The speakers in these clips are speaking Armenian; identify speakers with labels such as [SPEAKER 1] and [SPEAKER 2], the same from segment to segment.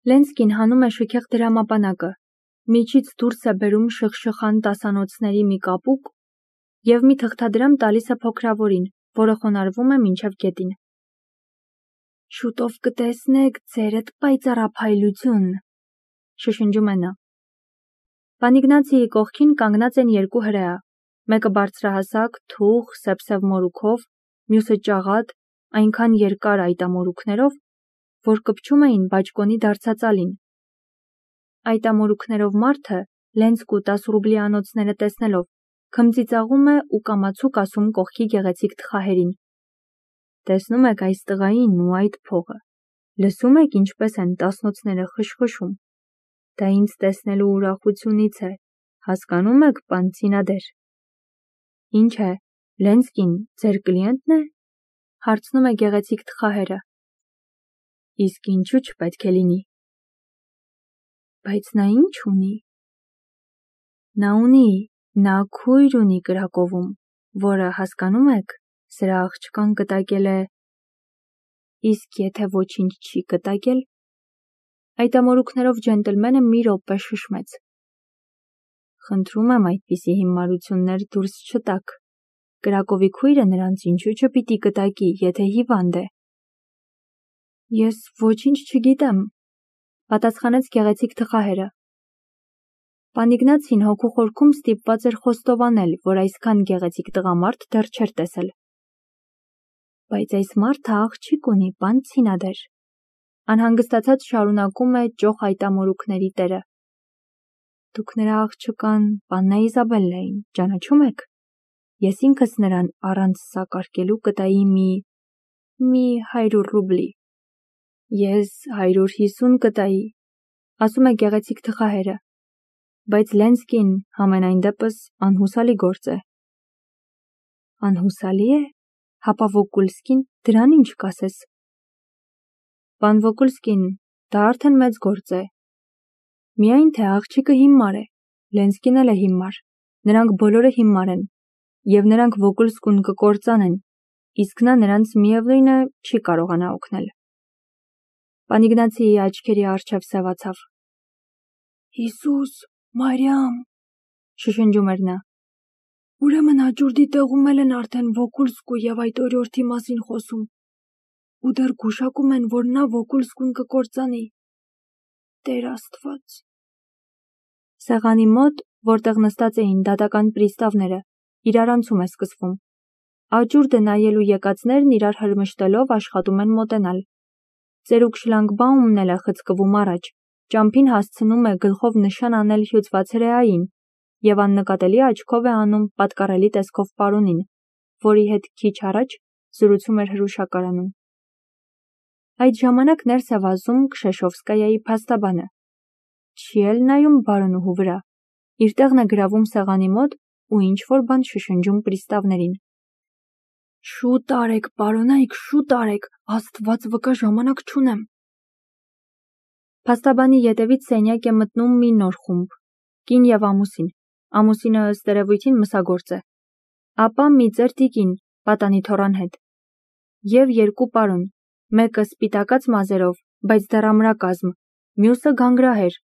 [SPEAKER 1] Լենսկին հանում է շքեղ դրամապանակը, միջից դուրս է բերում շխշխան տասանոցների մի կապուկ և մի թղթադրամ տալիս է փոքրավորին, որը խոնարհվում է մինչև գետին։ Շուտով կտեսնեք ձերդ պայծառափայլություն, շշնջում է նա։ Պանիգնացիի կողքին կանգնած են երկու հրեա, մեկը բարձրահասակ, թուխ, սև մորուքով, մյուսը ճաղատ, այնքան երկար այտամորուքներով, որ կպչում էին բաճկոնի դարձածալին։ Այտամորուքներով մարդը Լենսկու 10 ռուբլի անոցները տեսնելով քմծիծաղում է ու կամացուկ ասում կողքի գեղեցիկ թխահերին. տեսնում եք այս տղային ու այդ փողը, լսում եք ինչպես են տասնոցները խշխշում, դա ինձ տեսնելու ուրախությունից է, հասկանում եք, պան ցինադեր։ Ինչ է, Լենսկին ձեր կլիենտն է, հարցնում է գեղեցիկ թխահերը։ Իսկ ինչու չպետք է լինի։ Բայց նա ինչ ունի։ Նա քույր ունի Կրակովում, որը, հասկանում եք, սրա աղջկան կտակել է։ Իսկ եթե ոչինչ չի կտակել։ Այտամորուքներով ջենտլմենը մի րոպե շշմեց։ Խնդրում եմ այդպիսի հիմարություններ դուրս չտաք։ Կրակովի քույրը նրանց ինչու չպիտի կտակի, եթե հիվանդ է։ Ես ոչինչ չգիտեմ, պատասխանեց գեղեցիկ թխահերը։ Պանիգնացին հոգու խորքում ստիպված էր խոստովանել, որ այսքան գեղեցիկ տղամարդ դեռ չէր տեսել։ Բայց այս մարդը աղջիկ ունի, պան ցինադեր, անհանգստացած շարունակում է ճոխ այտամորուքների տերը։ Դուք նրա աղջկան Պաննա Իզաբելլային ճանաչում եք։ Ես ինքս նրան առանց սակարկելու կտայի մի 100 ռուբլի։ Ես 150 կտայի, ասում է գեղեցիկ թխահերը, բայց Լենսկին համենայն դեպս անհուսալի գործ է։ Անհուսալի է, հապա Վոկուլսկին դրան ինչ կասես։ Պան Վոկուլսկին, դա արդեն մեծ գործ է։ Միայն թե աղջիկը հիմար է, Լենսկին էլ է հիմար, նրանք բոլորը հիմար են, և նրանք Վոկուլսկուն կկործանեն, իսկ նա նրանց միևնույն է չի կարողանա օգնել։ Պանիգնացիի աչքերի առջև սևացավ։ Հիսուս, Մարիամ, շշնջում էր նա։ Ուրեմն հաջորդի տեղում էլ են արդեն Վոկուլսկու և այդ օրիորդի մասին խոսում, ու դեռ գուշակում են, որ նա Վոկուլսկուն կկործանի։ Տեր Աստված։ Սեղանի մոտ, որտեղ նստած էին դատական պրիստավները, իրարանցում է սկսվում։ Աջուրդը նայելու եկածներն իրար հրմշտելով աշխատում են մոտենալ։ Ծերուկ շլանգբաումն էլ է խցկվում առաջ, ճամփին հասցնում է գլխով նշան անել հյուծված հրեային և աննկատելի աչքով է անում պատկառելի տեսքով պարոնին, որի հետ քիչ առաջ զրուցում էր հրուշակարանում։ Այդ ժամանակ ներս է վազում Քշեշովսկայայի փաստաբանը։ Չի էլ նայում բարոնուհու վրա, իր տեղն է գրավում սեղանի մոտ ու ինչ-որ բան շշնջում պրիստավներին։ Շուտ արեք, պարոնայք, շուտ արեք, Աստված վկա ժամանակ չունեմ։ Փաստաբանի ետևից սենյակ է մտնում մի նոր խումբ, կին և ամուսին, ամուսինը ըստ երևույթին մսագործ է, ապա մի ծեր տիկին, պատանի թոռան հետ, և երկու պարոն, մեկը սպիտակած մազերով, բայց դեռ ամրակազմ, մյուսը գանգրահեր,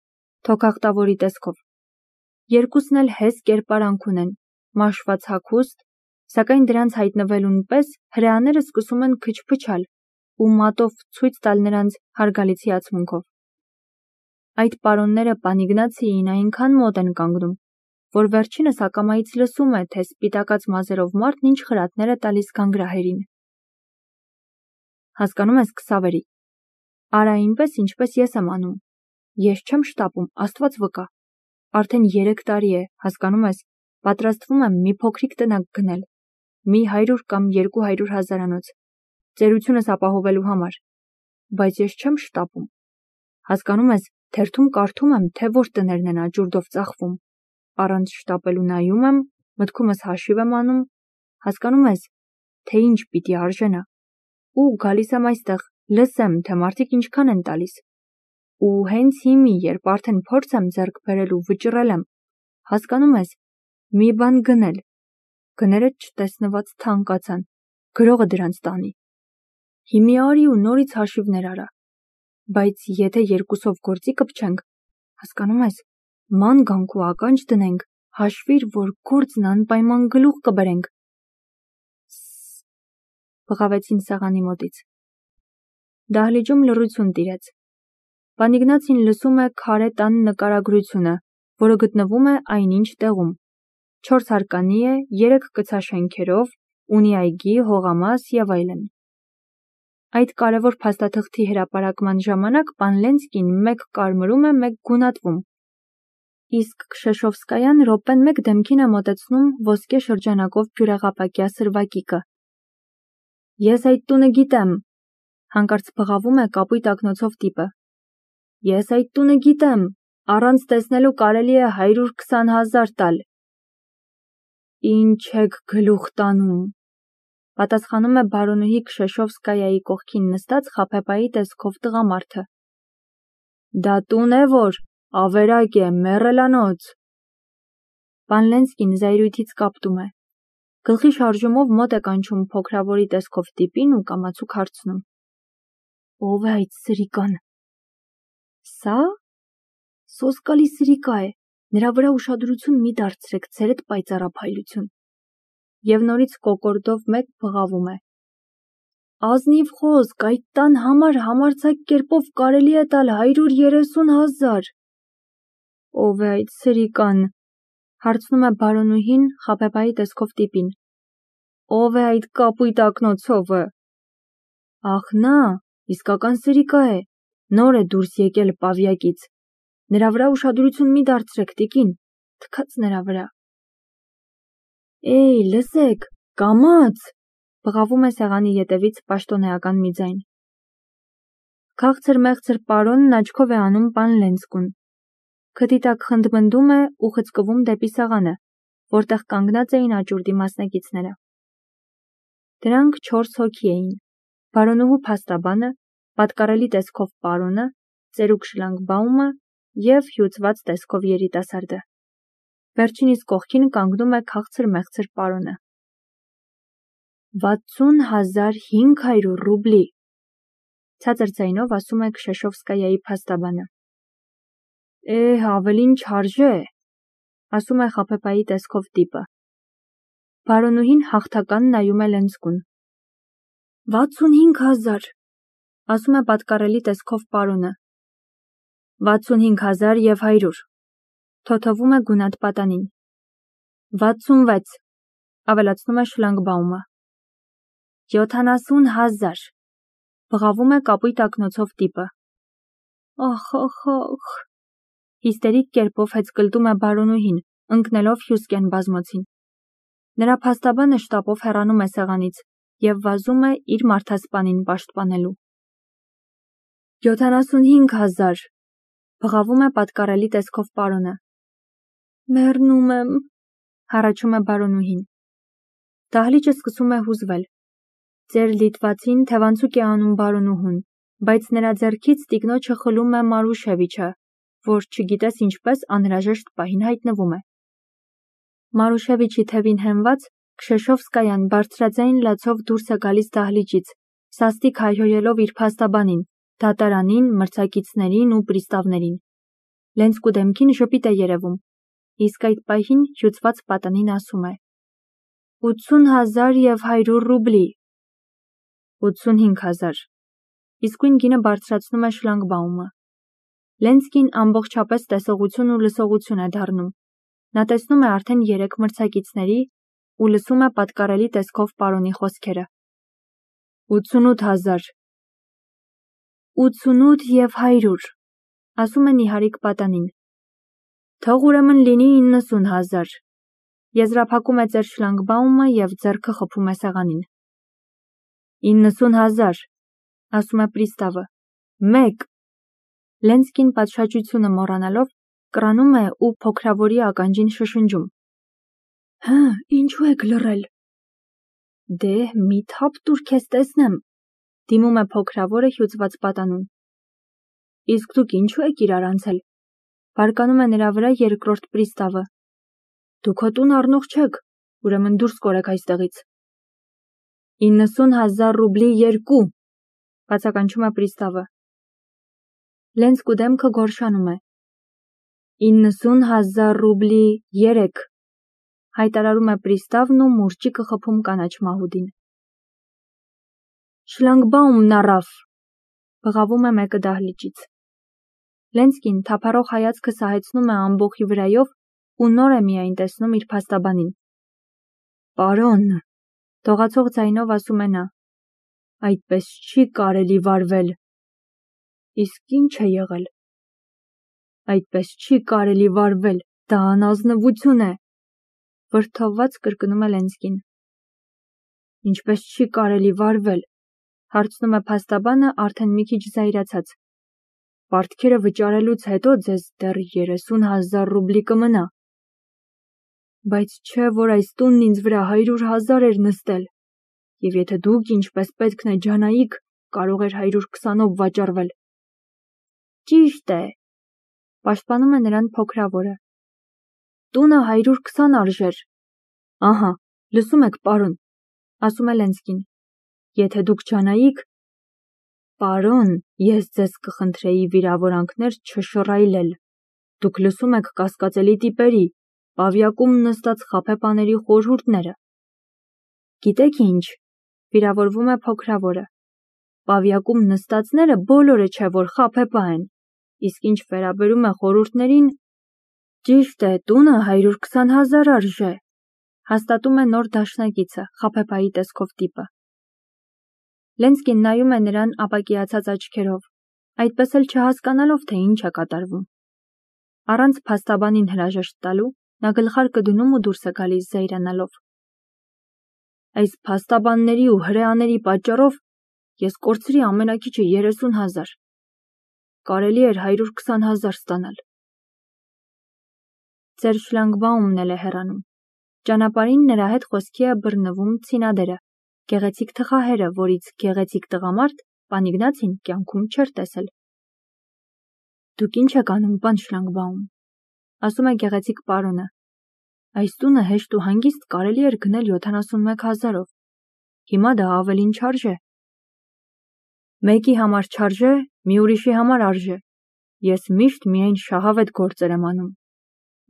[SPEAKER 1] թոքախտավորի տեսքով։ Երկուսն էլ հես կերպարանք ունեն, մաշված հագուստ, սակայն դրանց հայտնվելուն պես հրեաները սկսում են քչփչալ ու մատով ցույց տալ նրանց հարգալից հիացմունքով։ Այդ պարոնները Պանիգնացիին այնքան մոտ են կանգնում, որ վերջինս ակամայից լսում է, թե սպիտակած մազերով մարդն ինչ խրատներ է տալիս գանգրահերին։ Հասկանում ես, Քսավերի, արա այնպես, ինչպես ես եմ անում։ Ես չեմ շտապում, Աստված վկա։ Արդեն 3 տարի է, հասկանում ես, պատրաստվում եմ մի փոքրիկ տնակ գնել, մի 100 կամ 200 հազարանոց, ծերությունս ապահովելու համար, բայց ես չեմ շտապում։ Հասկանում ես, թերթում կարդում եմ, թե որ տներն են աճուրդով ծախվում, առանց շտապելու նայում եմ, մտքումս հաշիվ եմ անում, հասկանում ես, թե ինչ պիտի արժենա, ու գալիս եմ այստեղ, լսեմ, թե մարդիկ ինչքան են տալիս, ու հենց հիմի, երբ արդեն փորձ եմ ձեռք բերել ու վճռել եմ, հասկանում ես, մի բան գնել, գները չտեսնված թանկացան, գրողը դրանց տանի։ Հիմի արի ու նորից հաշիվներ արա։ Բայց եթե երկուսով գործի կպչենք, հասկանում ես, ման գանք ու ականջ դնենք, հաշվիր, որ գործն անպայման գլուխ կբերենք։ Բղավեցին սեղանի մոտից։ Դահլիճում լռություն տիրեց։ Պան Իգնացին լսում է քարե տան նկարագրությունը, որը գտնվում է այնինչ տեղում։ 4 հարկանի է, 3 կցաշենքերով, ունի այգի, հողամաս եւ այլն։ Այդ կարևոր փաստաթղթի հրապարակման ժամանակ պան Լենսկին մեկ կարմրում է, մեկ գունատվում։ Իսկ Քշեշովսկայան րոպեն մեկ դեմքին է մոտեցնում ոսկե շրջանակով բյուրեղապակյա սրվակիկը։ Ես այդ տունը գիտեմ, հանկարծ բղավում է կապույտ ակնոցով տիպը։ Ես այդ տունը գիտեմ, առանց տեսնելու կարելի է 120,000 տալ։ Ինչ եք գլուխ տանում, պատասխանում է բարոնուհի Քշեշովսկայայի կողքին նստած խաբեբայի տեսքով տղամարդը։ Դա տուն է, որ ավերակ է, մեռելանոց։ Պան Լենսկին զայրույթից կապտում է։ Գլխի շարժումով մոտ է կանչում փոքրավորի տեսքով տիպին ու կամացուկ հարցնում. Ո՞վ է այդ սրիկան։ Սա սոսկալի սրիկա է, նրա վրա ուշադրություն մի դարձրեք, ցերեդ պայծառափայլություն։ Եվ նորից կոկորդով մեկ բղավում է։ Ազնիվ խոսք, այդ տան համար համարձակ կերպով կարելի է տալ 130,000։ Ո՞վ է այդ սրիկան, հարցնում է բարոնուհին խաբեբայի տեսքով տիպին։ Ո՞վ է այդ կապույտ ակնոցովը։ Ախ նա, իսկական սրիկա է, նոր է դուրս եկել պավյակից։ Նրա վրա ուշադրություն մի դարձրեք, տիկին, թքած նրա վրա։ Էй, լսեք, կամաց, բղավում է սեղանի ետևից պաշտոնեական մի ձայն։ Քաղցր-մեղցր պարոնն աչքով է անում պան Լենսկուն։ Քթի տակ խնդմնդում է ու խցկվում դեպի սեղանը, որտեղ կանգնած էին աճուրդի մասնակիցները։ Դրանք 4 հոգի էին. բարոնուհու փաստաբանը, պատկառելի տեսքով պարոնը, ծերուկ շլանգբաումը և հյուծված տեսքով երիտասարդը։ Վերջինիս կողքին կանգնում է քաղցր-մեղցր պարոնը։ 60,500 ռուբլի, ցածր ձայնով ասում է Քշեշովսկայայի փաստաբանը։ Ավելին չարժե, ասում է խաբեբայի տեսքով տիպը։ Բարոնուհին հաղթական նայում է Լենսկուն։ 65,000, ասում է պատկառելի տեսքով պարոնը։ 65,100, թոթովում է գունատ պատանին։ 66, ավելացնում է շլանգբաումը։ 70,000, բղավում է կապույտ ակնոցով տիպը։ Ախ, հիստերիկ կերպով հեծկլտում է բարոնուհին, ընկնելով Հյուսկեն բազմոցին։ Նրա փաստաբանը շտապով հեռանում է սեղանից և վազում է իր մարդասպանին պաշտպանելու։ 75,000, բղավում է պատկառելի տեսքով պարոնը։ Մեռնում եմ, հառաչում է բարոնուհին։ Դահլիճը սկսում է հուզվել։ Ձեր լիտվացին թևանցուկ է անում բարոնուհուն, բայց նրա ձեռքից տիկնոջը խլում է Մարուշևիչը, որ չգիտես ինչպես անհրաժեշտ պահին հայտնվում է։ Մարուշևիչի թևին հենված Քշեշովսկայան բարձրաձայն լացով դուրս է գալիս դահլիճից, սաստիկ հայհոյելով իր փաստաբանին, դատարանին, մրցակիցներին ու պրիստավներին։ Լենսկու դեմքին ժպիտ է երևում, իսկ այդ պահին հյուծված պատանին ասում է. 80,100 ռուբլի։ 85,000, իսկույն գինը բարձրացնում է շլանգբաումը։ Լենսկին ամբողջապես տեսողություն ու լսողություն է դառնում։ Նա տեսնում է արդեն 3 մրցակիցների ու լսում է պատկառելի տեսքով պարոնի խոսքերը։ 88,000, 88 և 100, ասում է նիհարիկ պատանին։ Թող ուրեմն լինի 90,000, եզրափակում է ծեր շլանգբաումը և ձեռքը խփում է սեղանին։ 90,000, ասում է պրիստավը։ Մեկ։ Լենսկին պատշաճությունը մոռանալով կռանում է ու փոքրավորի ականջին շշնջում։ Ինչու եք լռել։ Դե, մի թափ տուր քեզ տեսնեմ, դիմում է փոքրավորը հյուծված պատանուն։ Իսկ դուք ինչու եք իրար անցել, բարկանում է նրա վրա երկրորդ պրիստավը։ Դուք հո տուն առնող չեք, ուրեմն դուրս կորեք այստեղից։ 90,000 ռուբլի 2, բացականչում է պրիստավը։ Լենսկու դեմքը գորշանում է։ 90,000 ռուբլի 3, հայտարարում է պրիստավն ու մուրճիկը խփում կանաչ մահուդին։ Շլանգբաումն առավ, բղավում է մեկը դահլիճից։ Լենսկին թափառող հայացքը սահեցնում է ամբոխի վրայով ու նոր է միայն տեսնում իր փաստաբանին։ Պարոն, դողացող ձայնով ասում է նա, այդպես չի կարելի վարվել։ Իսկ ինչ է եղել։ Այդպես չի կարելի վարվել, դա անազնվություն է, վրդովված կրկնում է Լենսկին։ Ինչպես չի կարելի վարվել, հարցնում է փաստաբանը արդեն մի քիչ զայրացած։ Պարտքերը վճարելուց հետո ձեզ դեռ 30,000 ռուբլի կմնա։ Բայց չէ, որ այս տունն ինձ վրա 100,000 էր նստել, և եթե դուք ինչպես պետքն է ջանայիք, կարող էր 120-ով վաճառվել։ Ճիշտ է, պաշտպանում է նրան փոքրավորը։ Տունը 120 արժեր։ Ահա, լսում եք, պարոն, ասում է Լենսկին։ Եթե դուք ջանայիք, պարոն, ես ձեզ կխնդրեի վիրավորանքներ չշռայլել։ Դուք լսում եք կասկածելի տիպերի, պավյակում նստած խաբեբաների խորհուրդները։ Գիտեք ինչ, վիրավորվում է փոքրավորը։ Պավյակում նստածները բոլորը չէ, որ խաբեբա են, իսկ ինչ վերաբերում է խորհուրդներին, ճիշտ է, տունը 120,000 արժե, հաստատում է նոր դաշնակիցը, խաբեբայի տեսքով տիպը։ Լենսկին նայում է նրան ապակիացած աչքերով, այդպես էլ չհասկանալով, թե ինչ է կատարվում։ Առանց փաստաբանին հրաժեշտ տալու, նա գլխարկը դնում ու դուրս է գալիս զայրանալով։ Այս փաստաբանների ու հրեաների պատճառով ես կորցրի ամենաքիչը 30,000։ Կարելի էր 120,000 ստանալ։ Ձեր շլանգբաումն էլ է հեռանում։ Ճանապարհին նրա հետ խոսքի է բռնվում ցինադերը, գեղեցիկ թխահերը, որից գեղեցիկ տղամարդ Պանիգնացին կյանքում չէր տեսել։ Դուք ինչ եք անում, պան Շլանգբաում, ասում է գեղեցիկ պարոնը։ Այս տունը հեշտ ու հանգիստ կարելի էր գնել 71,000-ով։ Հիմա դա ավելին չարժե։ Մեկի համար չարժե, մի ուրիշի համար արժե։ Ես միշտ միայն շահավետ գործեր եմ անում։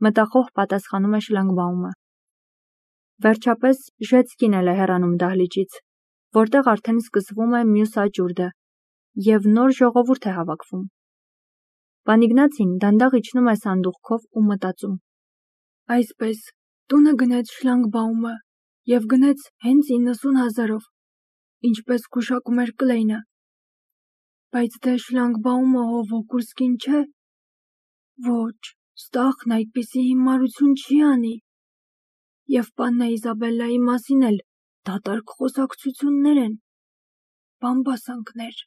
[SPEAKER 1] Մտախոհ պատասխանում է Շլանգբաումը։ Վերջապես Ժեցկին էլ է հեռանում դահլիճից, որտեղ արդեն սկսվում է մյուս աճուրդը, և նոր ժողովուրդ է հավաքվում։ Պանիգնացին դանդաղ իջնում է սանդուղքով ու մտածում։ Այսպես, տունը գնեց Շլանգբաումը և գնեց հենց 90,000-ով, ինչպես գուշակում էր Կլեյնը։ Բայց դե Շլանգբաումը ով Վոկուլսկին չէ։ Ոչ, Ստախն այդպիսի հիմարություն չի անի։ Եվ պաննա Իզաբելլայի մասին էլ դատարկ խոսակցություններ են, բամբասանքներ։